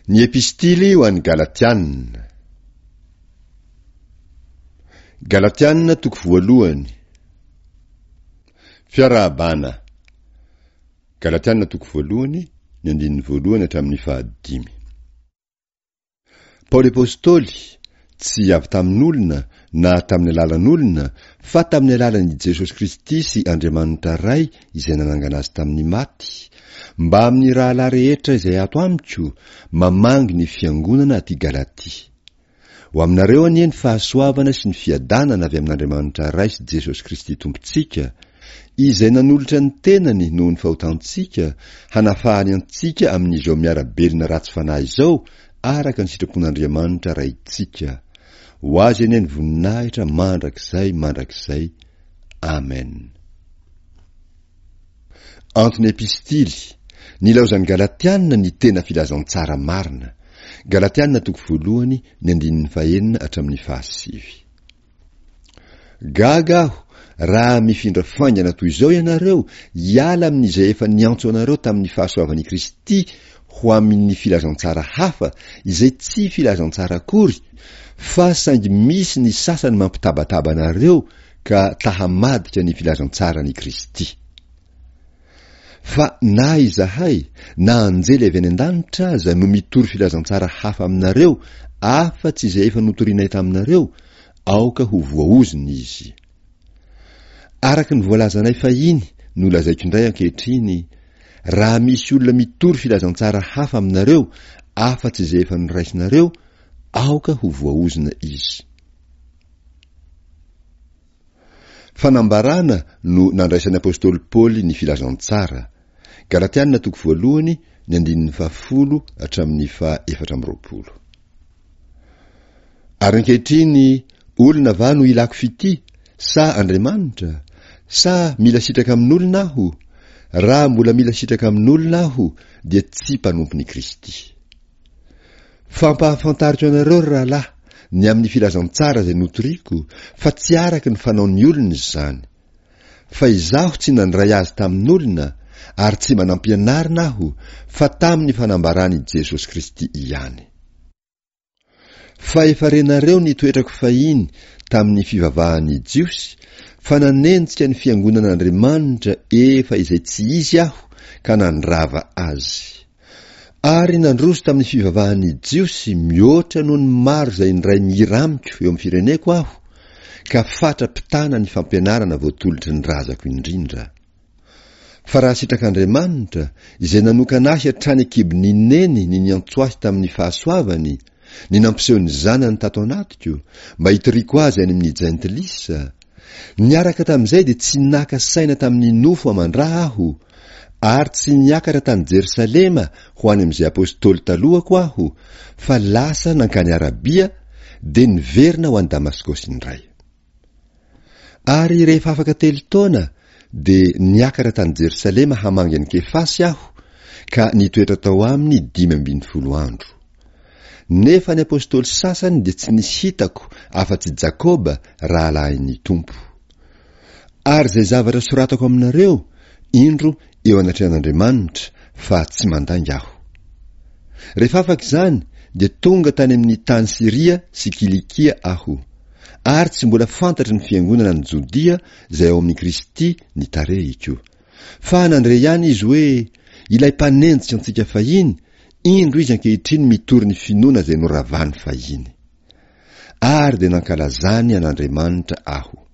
Ny Epistily ho an'ny Galatiana. Galatiana toko voalohany. Fiarahabana. Galatiana toko voalohany, ny andininy voalohany hatramin'ny fahadimy. Paoly Apostoly, tsy avy tamin'olona na tamin'ny alalan'olona, fa tamin'ny alalan'i Jesosy Kristy sy Andriamanitra Ray izay nanangana azy tamin'ny maty, mbamin'ny rahalahy rehetra izay ato amiko, mamangy ny fiangonana aty Galatia. Ho aminareo anie ny fahasoavana sy ny fiadanana avy amin'Andriamanitra Ray sy Jesosy Kristy Tompontsika, Izay nanolotra ny tenany noho ny fahotantsika, hanafahany antsika amin'izao miara-belona ratsy fanahy izao araka ny sitrapon'Andriamanitra Raintsika. Ho Azy anie ny voninahitra mandrakizay mandrakizay. Amen. Antony Epistily, Nilaozan'ny Galatiana ny tena filazantsara marina. Galatiana toko voalohany, ny andininy fahenina hatramin'ny fahasivy. Gaga aho raha mifindra faingana toy izao ianareo hiala amin'izay efa niantso anareo tamin'ny fahasoavan'i Kristy ho amin'ny filazantsara hafa izay tsy filazantsara akory fa saingy misy ny sasany mampitabataba anareo ka ta-hamadika ny filazantsaran'i Kristy. Fa na izahay, na anjely avy any an-danitra aza no mitory filazantsara hafa aminareo afa-tsy izay efa notorinay taminareo, aoka ho voaozona izy. Araka ny voalazanay fahiny no lazaiko indray ankehitriny, raha misy olona mitory filazantsara hafa aminareo afa-tsy izay efa noraisinareo, aoka ho voaozona izy. Fanambarana no nandraisan'ny apostoly Paoly ny filazantsara. Galatiana toko voalohany, ny andininy fahafolo hatramin'ny faha 24. Ary ankehitriny, olona va no ilako fitia, sa Andriamanitra? Sa mila sitraka amin'olona aho? Raha mbola mila sitraka amin'olona aho, dia tsy mpanompon'i Kristy. Fampahafantariko anareo, ry rahalahy, ny amin'ny filazantsara izay notoriko, fa tsy araka ny fanaon'ny olona izany. Fa izaho tsy nandray azy tamin'olona, ary tsy mba nampianarina aho, fa tamin'ny fanambaran'i Jesosy Kristy ihany. Fa efa renareo ny toetrako fahiny tamin'ny fivavahan'ny Jiosy, fa nanenjika ny fiangonan'Andriamanitra efa izay tsy izy aho ka nandrava azy. Ary nandroso tamin'ny fivavahan'ny Jiosy mihoatra noho ny maro izay indray mihira amiko eo amin'ny fireneko aho, ka fatra-pitana ny fampianarana voatolotry ny razako indrindra. Fa raha sitrak'Andriamanitra, izay nanokana ahy hatrany an-kibon'i Neny ny niantso ahy tamin'ny fahasoavany, ny nampiseho ny Zanany tato anatiko, mba hitoriako azy any amin'ny Jentilisa, niaraka tamin'izay dia tsy naka saina tamin'ny nofo aman-dra aho, Ary tsy niakatra tany Jerosalema ho any amin'izay apostoly talohako aho, fa lasa nankany Arabia, dia niverina ho any Damaskosy indray. Ary rehefa afaka telo taona, dia niakatra tany Jerosalema hamangy an'i Kefasy aho, ka nitoetra tao aminy 15 andro. Nefa ny apostoly sasany dia tsy nisy hitako afa-tsy Jakoba rahalahin'ny Tompo. Ary izay zavatra soratako aminareo, indro eo anatrehan'Andriamanitra, fa tsy mandainga aho. Rehefa afaka izany, dia tonga tany amin'ny tany Syria sy Kilikia aho, ary tsy mbola fantatry ny fiangonana any Jodia izay ao amin'i Kristy ny tarehiko. Fa nandre ihany izy hoe, Ilay mpanenjika antsika fahiny, indro izy ankehitriny mitory ny finoana izay noravany fahiny. Ary dia nankalazany an'Andriamanitra aho.